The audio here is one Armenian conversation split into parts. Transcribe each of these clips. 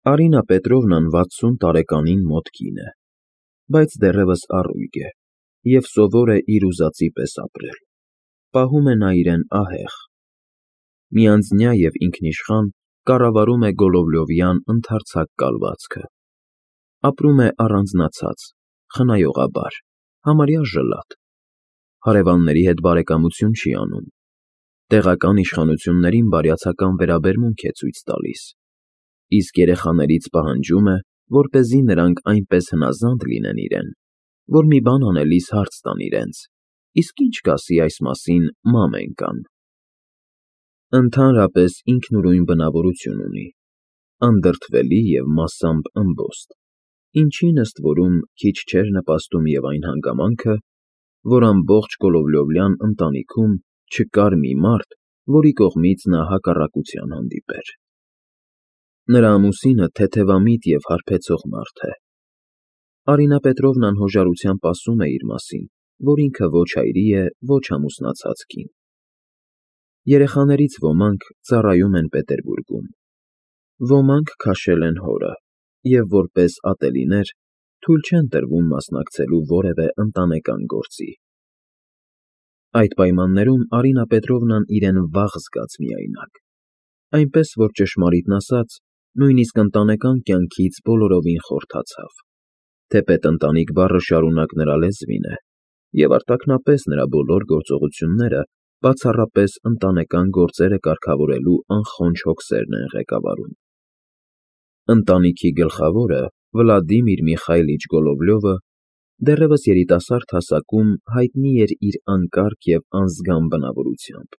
Արինա Պետրովնան 60 տարեկանին մոտ կին է, բայց դեռևս առույգ է և սովոր է իր ուզածի պես ապրել, պահում է նա իրեն ահեղ, միանձնյա և ինքնիշխան կառավարում է Գոլովլովյան ընդարձակ կալվածքը, ապրում է առանձնացած, խնայողաբար, համարյա ժլատ, հարևանների հետ բարեկամություն չի անում, տեղական իշխանություններին բարյացակամ վերաբերմունք է ցույց տալիս, իսկ երեխաներից պահանջում է, որպեսզի նրանք այնպես հնազանդ լինեն իրեն, որ մի բան անելիս հարց տան իրենց. իսկ ի՞նչ կասի այս մասին մամենկան։ Ընդհանրապես ինքնուրույն բնավորություն ունի, անդրդվելի և մասամբ ըմբոստ, ինչին ըստ որում քիչ չէր նպաստում և այն հանգամանքը, որ ամբողջ Գոլովլովյան ընտանիքում չկար մի մարդ, որի կողմից նա հակառակության հանդիպեր։ Նրա ամուսինը թեթևամիտ և հարբեցող մարդ է։ Արինա Պետրովնան հոժարությամբ ասում է իր մասին, որ ինքը ոչ այրի է, ոչ ամուսնացած կին։ Երեխաներից ոմանք ծառայում են Պետերբուրգում, ոմանք քաշել են հորը և որպես ատելիներ թույլ չեն տրվում մասնակցելու որևէ ընտանեկան գործի։ Այդ պայմաններում Արինա Պետրովնան իրեն վաղ զգաց միայնակ, այնպես որ ճշմարիտն ասած, նույնիսկ ընտանեկան կյանքից բոլորովին խորթացավ, թեպետ ընտանիք բառը շարունակ նրա լեզվին է, և արտաքնապես նրա բոլոր գործողությունները բացառապես ընտանեկան գործերը կարգավորելու անխոնջ հոգսերն են ղեկավարում։ Ընտանիքի գլխավորը Վլադիմիր Միխայիլիչ Գոլովլյովը դեռևս երիտասարդ հասակում հայտնի էր իր անկարգ և անզգամ բնավորությամբ,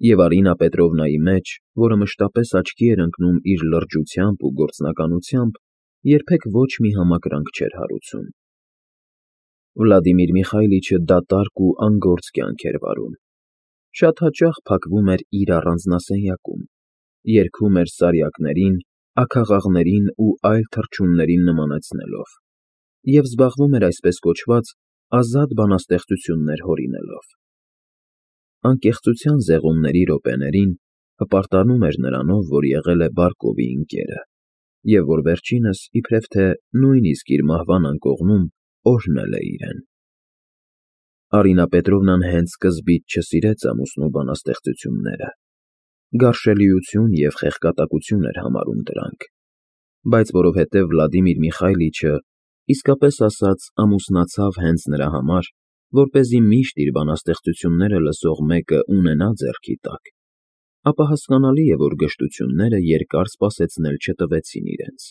և Արինա Պետրովնայի մեջ, որը մշտապես աչքի էր ընկնում իր լրջությամբ ու գործնականությամբ, երբեք ոչ մի համակրանք չէր հարուցում։ Վլադիմիր Միխայիլիչը դատարկ ու անգործ կյանք էր վարում, շատ հաճախ փակվում էր իր առանձնասենյակում, երգում էր սարյակներին, աքաղաղներին ու այլ թռչուններին նմանեցնելով և զբաղվում էր այսպես կոչված ազատ բանաստեղծություններ հորինելով։ Անկեղծության զեղումների րոպեներին հպարտանում էր նրանով, որ եղել է Բարկովի ընկերը, և որ վերջինս, իբրև թե նույնիսկ իր մահվան անկողնում, օրհնել է իրեն։ Արինա Պետրովնան հենց սկզբից չսիրեց ամուսնու բանաստեղծությունները, գարշելիություն և խեղկատակություն էր համարում դրանք, բայց որովհետև Վլադիմիր Միխայիլիչը, իսկապես ասած, ամուսնացավ հենց նրա համար, որպեսզի միշտ իր բանաստեղծությունները լսող մեկը ունենա ձեռքի տակ, ապա հասկանալի է, որ գժտությունները երկար սպասեցնել չտվեցին իրենց։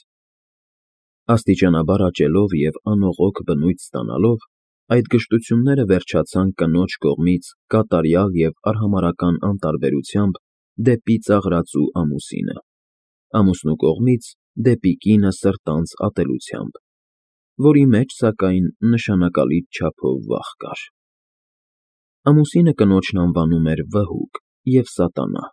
Աստիճանաբար աճելով և անողոք բնույթ ստանալով, այդ գժտությունները վերջացան կնոջ կողմից կատարյալ և արհամարհական անտարբերությամբ դեպի ծաղրածու ամուսինը, ամուսնու կողմից դեպի կինը սրտանց ատելությամբ, որի մեջ, սակայն, նշանակալից չափով վախ կար։ Ամուսինը կնոջն անվանում էր վհուկ և սատանա,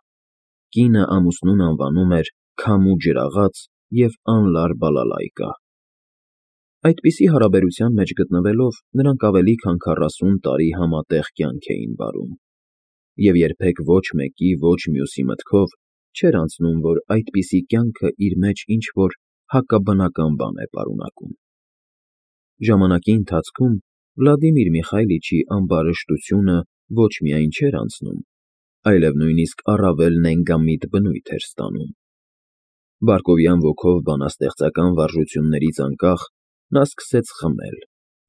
կինը ամուսնուն անվանում էր քամու ջրաղաց և անլար բալալայկա։ Այդպիսի հարաբերության մեջ գտնվելով, նրանք ավելի քան 40 տարի համատեղ կյանք էին վարում, և երբեք ոչ մեկի, ոչ մյուսի մտքով չէր անցնում, որ այդպիսի կյանքը իր մեջ ինչ-որ հակաբնական բան է պարունակում։ Ժամանակի ընթացքում Վլադիմիր Միխայիլիչի ամբարշտությունը ոչ միայն չէր անցնում, այլև նույնիսկ առավել նենգամիտ բնույթ էր ստանում։ Բարկովյան ոգով բանաստեղծական վարժություններից անկախ նա սկսեց խմել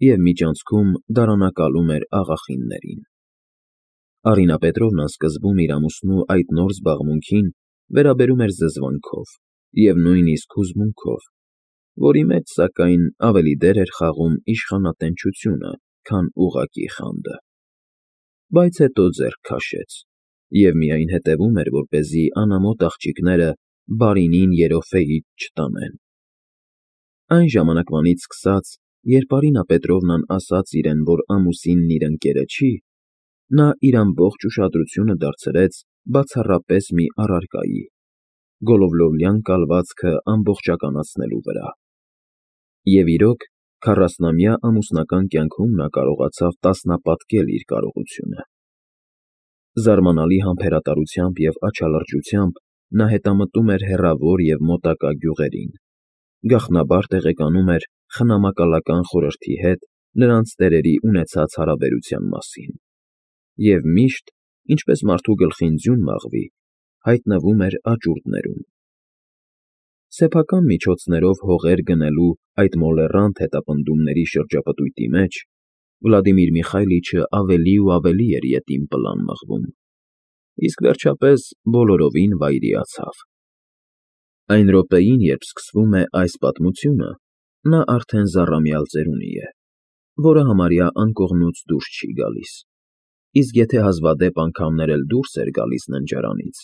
և միջանցքում դարանակալում էր աղախիններին։ Արինա Պետրովնան սկզբում իր ամուսնու այդ նոր զբաղմունքին վերաբերում էր զզվանքով և նույնիսկ հուզմունքով, որի մեջ, սակայն, ավելի դեր էր խաղում իշխանատենչությունը, քան ուղղակի խանդը։ Բայց հետո ձեռք քաշեց և միայն հետևում էր, որպեսզի անամոթ աղջիկները բարինին երոֆեիդ չտանեն։ Այն ժամանակվանից սկսած, երբ Արինա Պետրովնան ասաց իրեն, որ ամուսինն իր ընկերը չի, նա իր ամբողջ ուշադրությունը դարձրեց բացառապես մի առարկայի՝ Գոլովլովյան կալվածքը ամբողջականացնելու վրա։ Եվ իրոք, 40-ամյա ամուսնական կյանքում նա կարողացավ տասնապատկել իր կարողությունը։ Զարմանալի համբերատարությամբ և աչալրջությամբ նա հետամտում էր հեռավոր և մոտակա գյուղերին, գաղտնաբար տեղեկանում էր խնամակալական խորհրդի հետ նրանց տերերի ունեցած հարաբերության մասին, և միշտ, ինչպես մարդու գլխին ձյուն մաղվի, հայտնվում էր աճուրդներում։ Սեփական միջոցներով հողեր գնելու այդ մոլեռանդ հետապնդումների շրջապտույտի մեջ Վլադիմիր Միխայլիչը ավելի ու ավելի էր ետին պլան մղվում, իսկ վերջապես բոլորովին վայրիացավ։ Այն րոպեին, երբ սկսվում է այս պատմությունը, նա արդեն զառամյալ ծերունի է, որը համարյա անկողնուց դուրս չի գալիս, իսկ եթե հազվադեպ անգամներ էլ դուրս էր գալիս ննջարանից,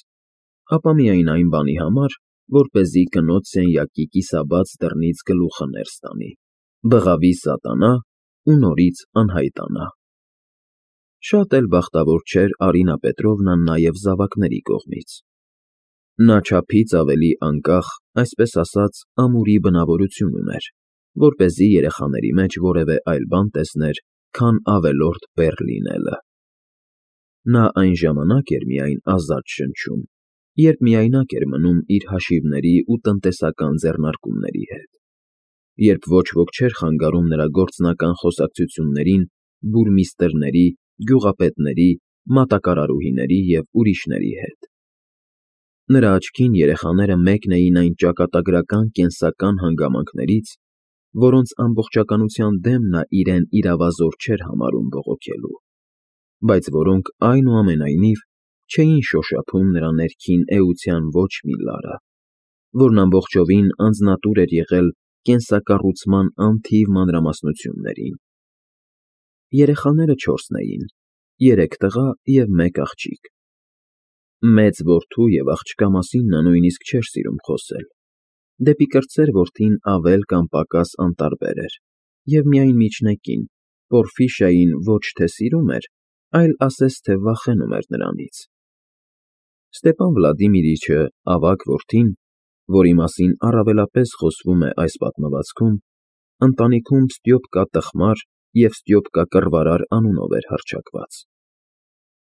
ապա միայն այն բանի համար, որպեսզի կնոջ սենյակի կիսաբաց դռնից գլուխը ներս տանի, բղավի սատանա ու նորից անհայտանա։ Շատ էլ բախտավոր չէր Արինա Պետրովնան նաև զավակների կողմից։ Նա չափից ավելի անկախ, այսպես ասած, ամուրի բնավորություն ուներ, որպեսզի երեխաների մեջ որևէ այլ բան տեսներ, քան ավելորդ բեռ լինելը։ Նա այն ժամանակ էր միայն ազատ շնչում, երբ միայնակ էր մնում իր հաշիվների ու տնտեսական ձեռնարկումների հետ, երբ ոչ ոք չէր խանգարում նրա գործնական խոսակցություններին բուրմիստրների, գյուղապետների, մատակարարուհիների և ուրիշների հետ։ Նրա աչքին երեխաները մեկն էին այն ճակատագրական կենսական հանգամանքներից, որոնց ամբողջականության դեմ նա իրեն իրավազոր չէր համարում բողոքելու, բայց որոնք այնուամենայնիվ չէին շոշափում նրա ներքին էության ոչ մի լարը, որն ամբողջովին անձնատուր էր եղել կենսակառուցման անթիվ մանրամասնություններին։ Երեխաները չորսն էին, 3 տղա և 1 աղջիկ։ Մեծ որդու և աղջկա մասին նա նույնիսկ չէր սիրում խոսել, դեպի կրտսեր որդին ավել կամ պակաս անտարբեր էր և միայն միջնեկին՝ Պորֆիշային ոչ թե սիրում էր, այլ ասես թե վախենում էր նրանից։ Ստեպան Վլադիմիրիչը, ավագ որդին, որի մասին առավելապես խոսվում է այս պատմվածքում, ընտանիքում Ստյոպկա տխմար և Ստյոպկա կռվարար անունով էր հռչակված։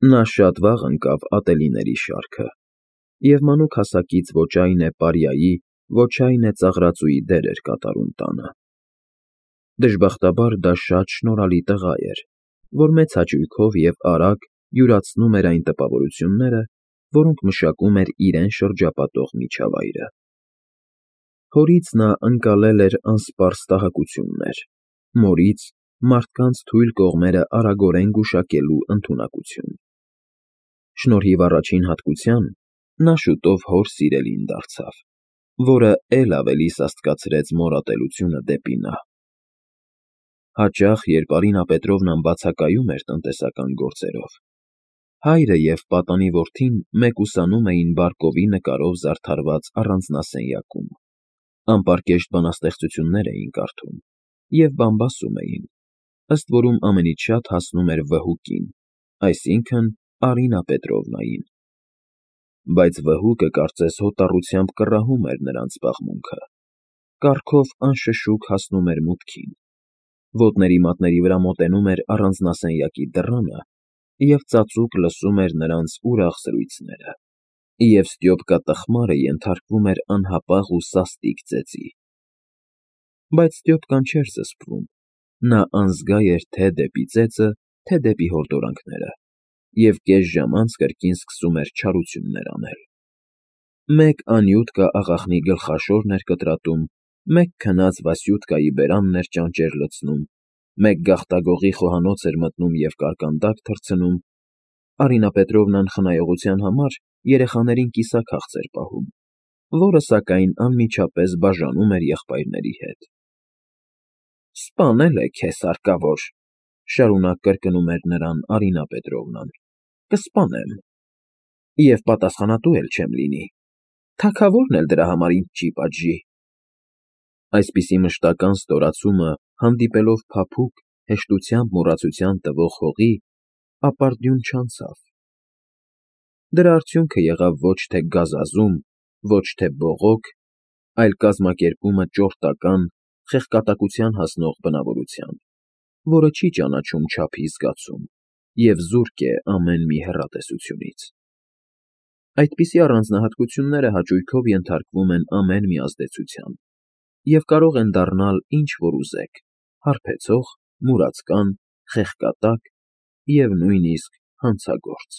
Նա շատ վաղ ընկավ ատելիների շարքը, և մանուկ հասակից ոչ այն է պարիայի, ոչ այն է ծաղրածուի դեր էր կատարում տանը։ Դժբախտաբար դա շատ շնորհալի տղա էր, որ մեծ հաճույքով և արագ յուրացնում էր այն տպավորությունները, որոնք մշակում էր իրեն շրջապատող միջավայրը։ Հորից նա ընկալել էր անսպառ տհակություններ, մորից՝ մարդկանց թույլ կողմերը արագորեն գուշակելու ընդունակություն։ Շնորհիվ առաջին հատկության նա շուտով հոր սիրելին դարձավ, որը էլ ավելի սաստկացրեց մոր ատելությունը դեպի նա։ Հաճախ, երբ Արինա Պետրովնան բացակայում էր տնտեսական գործերով, հայրը և պատանի որդին մեկուսանում էին բարկովի նկարով զարդարված առանձնասենյակում, անպարկեշտ բանաստեղծություններ էին կարդում և բամբասում էին, ըստ որում ամենից շատ հասնում էր վհուկին, այսինքն՝ Արինա Պետրովնային։ Բայց վհուկը կարծես հոտառությամբ կռահում էր նրանց պաղմունքը, կառքով անշշուկ հասնում էր մուտքին, ոտների մատների վրա մոտենում էր առանձնասենյակի դռանը և ծածուկ լսում էր նրանց ուրախ զրույցները, և Ստյոպկա տխմարը ենթարկվում էր անհապաղ ու սաստիկ ծեծի։ Բայց Ստյոպկան չէր զսպվում, նա անզգա էր թե դեպի ծեծը, թե դեպի հորդորանքները, և կես ժամ անց կրկին սկսում էր չարություններ անել։ Մեկ Անյուտկա աղախնի գլխաշորն էր կտրատում, մեկ քնած Վասյուտկայի բերանն էր ճանճեր լցնում, մեկ գաղտագողի խոհանոց էր մտնում և կարկանդակ թռցնում, Արինա Պետրովնան խնայողության համար երեխաներին կիսաքաղց էր պահում, որը, սակայն, անմիջապես բաժանում էր եղբայրների հետ։ «Սպանել է քեզ, հարկավոր,֊ շարունակ կրկնում էր նրան Արինա Պետրովնան,֊ կսպանեմ, և պատասխանատու էլ չեմ լինի, թագավորն էլ դրա համար ինձ չի պատժի»։ Այսպիսի մշտական ստորացումը հանդիպելով փափուկ, հեշտությամբ մոռացության տվող հողի, ապարդյուն չանցավ։ Դրա արդյունքը եղավ ոչ թե գազազում, ոչ թե բողոք, այլ կազմակերպումը ճորտական, խեղկատակության հասնող բնավորության, որը չի ճանաչում չափի զգացում և զուրկ է ամեն մի հեռատեսությունից։ Այդպիսի առանձնահատկությունները հաճույքով ենթարկվում են ամեն մի ազդեցության, և կարող են դառնալ ինչ որ ուզեք՝ հարբեցող, մուրացկան, խեղկատակ և նույնիսկ հանցագործ։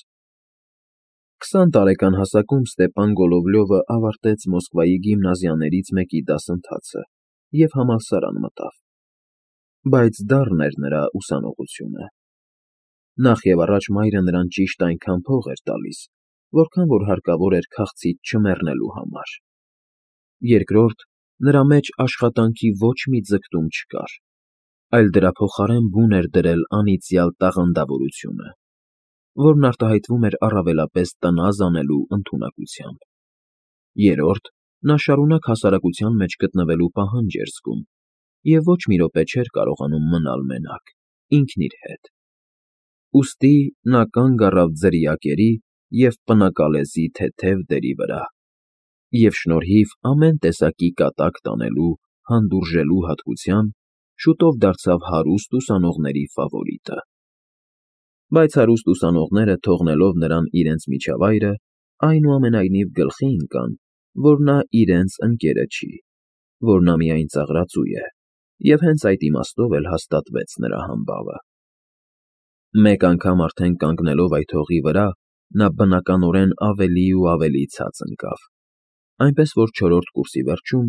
20 տարեկան հասակում Ստեպան Գոլովլյովը ավարտեց Մոսկվայի գիմնազիաներից մեկի դասընթացը և համալսարան մտավ։ Բայց դառն էր նրա ուսանողությունը։ Նախ և առաջ մայրը նրան ճիշտ այնքան փող էր տալիս, որքան որ հարկավոր էր քաղցից չմեռնելու համար։ Երկրորդ, նրա մեջ աշխատանքի ոչ մի ձգտում չկար, այլ դրա փոխարեն բուն էր դրել անիծյալ տաղանդավորությունը, որն արտահայտվում էր առավելապես տնազ անելու ընդունակությամբ։ Երրորդ, նա շարունակ հասարակության մեջ գտնվելու պահանջ էր զգում և ոչ մի րոպե չէր կարողանում մնալ մենակ, ինքն իր հետ։ Ուստի նա կանգ առավ ձրիակերի և պնակալեզի թեթև դերի վրա և շնորհիվ ամեն տեսակի կատակ տանելու հանդուրժելու հատկության շուտով դարձավ հարուստ ուսանողների ֆավորիտը։ Բայց հարուստ ուսանողները, թողնելով նրան իրենց միջավայրը, այնուամենայնիվ գլխի ընկան, որ նա իրենց ընկերը չի, որ նա միայն ծաղրածու է, և հենց այդ իմաստով էլ հաստատվեց նրա համբավը։ Մեկ անգամ արդեն կանգնելով այդ հողի վրա, նա բնականորեն ավելի ու ավելի ցած ընկավ, այնպես որ չորրորդ կուրսի վերջում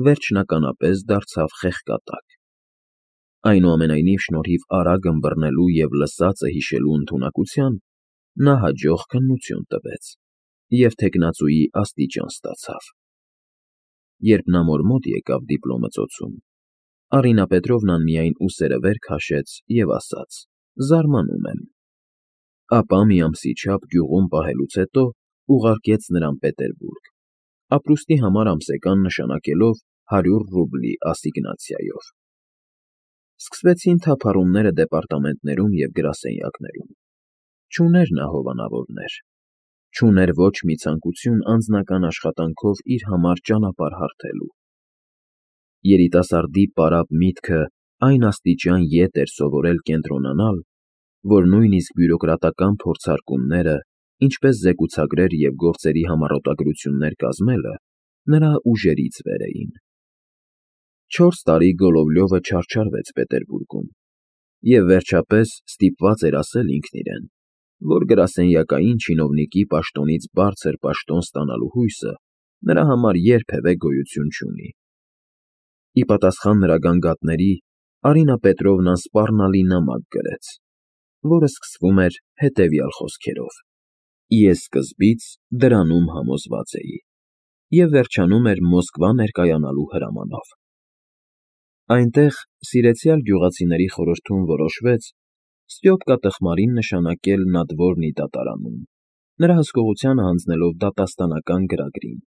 վերջնականապես դարձավ խեղկատակ։ Այնուամենայնիվ, շնորհիվ արագ ըմբռնելու և լսածը հիշելու ընդունակության, նա հաջող քննություն տվեց և թեկնածուի աստիճան ստացավ։ Երբ նա մոր մոտ եկավ դիպլոմը ծոցում, Արինա Պետրովնան միայն ուսերը վեր քաշեց և ասաց. «Զարմանում եմ»։ Ապա մի ամսի չափ գյուղում պահելուց հետո ուղարկեց նրան Պետերբուրգ, ապրուստի համար ամսական նշանակելով 100 ռուբլի ասիգնացիայով։ Սկսվեցին թափառումները դեպարտամենտներում և գրասենյակներում։ Չուներ նա հովանավորներ, չուներ ոչ մի ցանկություն անձնական աշխատանքով իր համար ճանապարհ հարթելու։ Երիտասարդի պարապ միտքը այն աստիճան ետ էր սովորել կենտրոնանալ, որ նույնիսկ բյուրոկրատական փորձարկումները, ինչպես զեկուցագրեր և գործերի համառոտագրություններ կազմելը, նրա ուժերից վեր էին։ 4 տարի Գոլովլյովը չարչարվեց Պետերբուրգում և վերջապես ստիպված էր ասել ինքն իրեն, որ գրասենյակային չինովնիկի պաշտոնից բարձր պաշտոն ստանալու հույսը նրա համար երբևէ գոյություն չունի։ Ի պատասխան նրա գանգատների Արինա Պետրովնան սպառնալի նամակ գրեց, որը սկսվում էր հետևյալ խոսքերով. «Ես սկզբից դրանում համոզված էի» և վերջանում էր Մոսկվա ներկայանալու հրամանով։ Այնտեղ սիրեցյալ գյուղացիների խորհրդում որոշվեց Ստյոպկա տխմարին նշանակել նադվորնի դատարանում, նրա հսկողությանը հանձնելով դատաստանական գրագրին,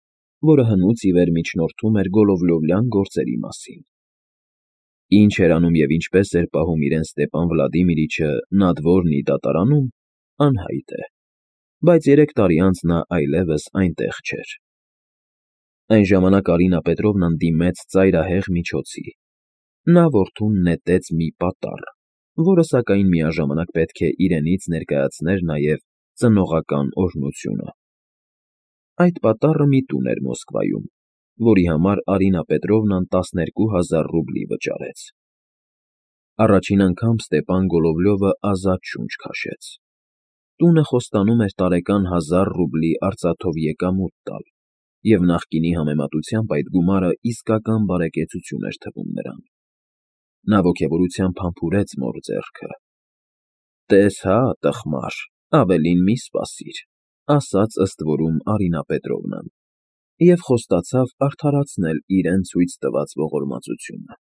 որը հնուց ի վեր միջնորդում էր Գոլովլյովյան գործերի մասին։ Ինչ էր անում և ինչպես էր պահում իրեն Ստեպան Վլադիմիրիչը նադվորնի դատարանում, անհայտ է, բայց 3 տարի անց նա այլևս այնտեղ չէր։ Այն ժամանակ Արինա Պետրովնան դիմեց ծայրահեղ միջոցի։ Նա որդուն նետեց մի պատառ, որը սակայն միաժամանակ պետք է իրենից ներկայացներ նաև ծնողական օրհնությունը։ Այդ պատառը մի տուն էր Մոսկվայում, որի համար Արինա Պետրովնան 12,000 ռուբլի վճարեց։ Առաջին անգամ Ստեպան Գոլովլյովը ազատ շունչ քաշեց։ Տունը խոստանում էր տարեկան 1000 ռուբլի արծաթով եկամուտ տալ, և նախկինի համեմատությամբ այդ գումարը իսկական բարեկեցություն էր թվում նրան։ Նա ոգևորությամբ համբուրեց մոր ձեռքը։ «Տես հա, տխմար, ավելին մի սպասիր», ասաց ըստ որում Արինա Պետրովնան, և խոստացավ արդարացնել իրեն ցույց տված ողորմածությունը։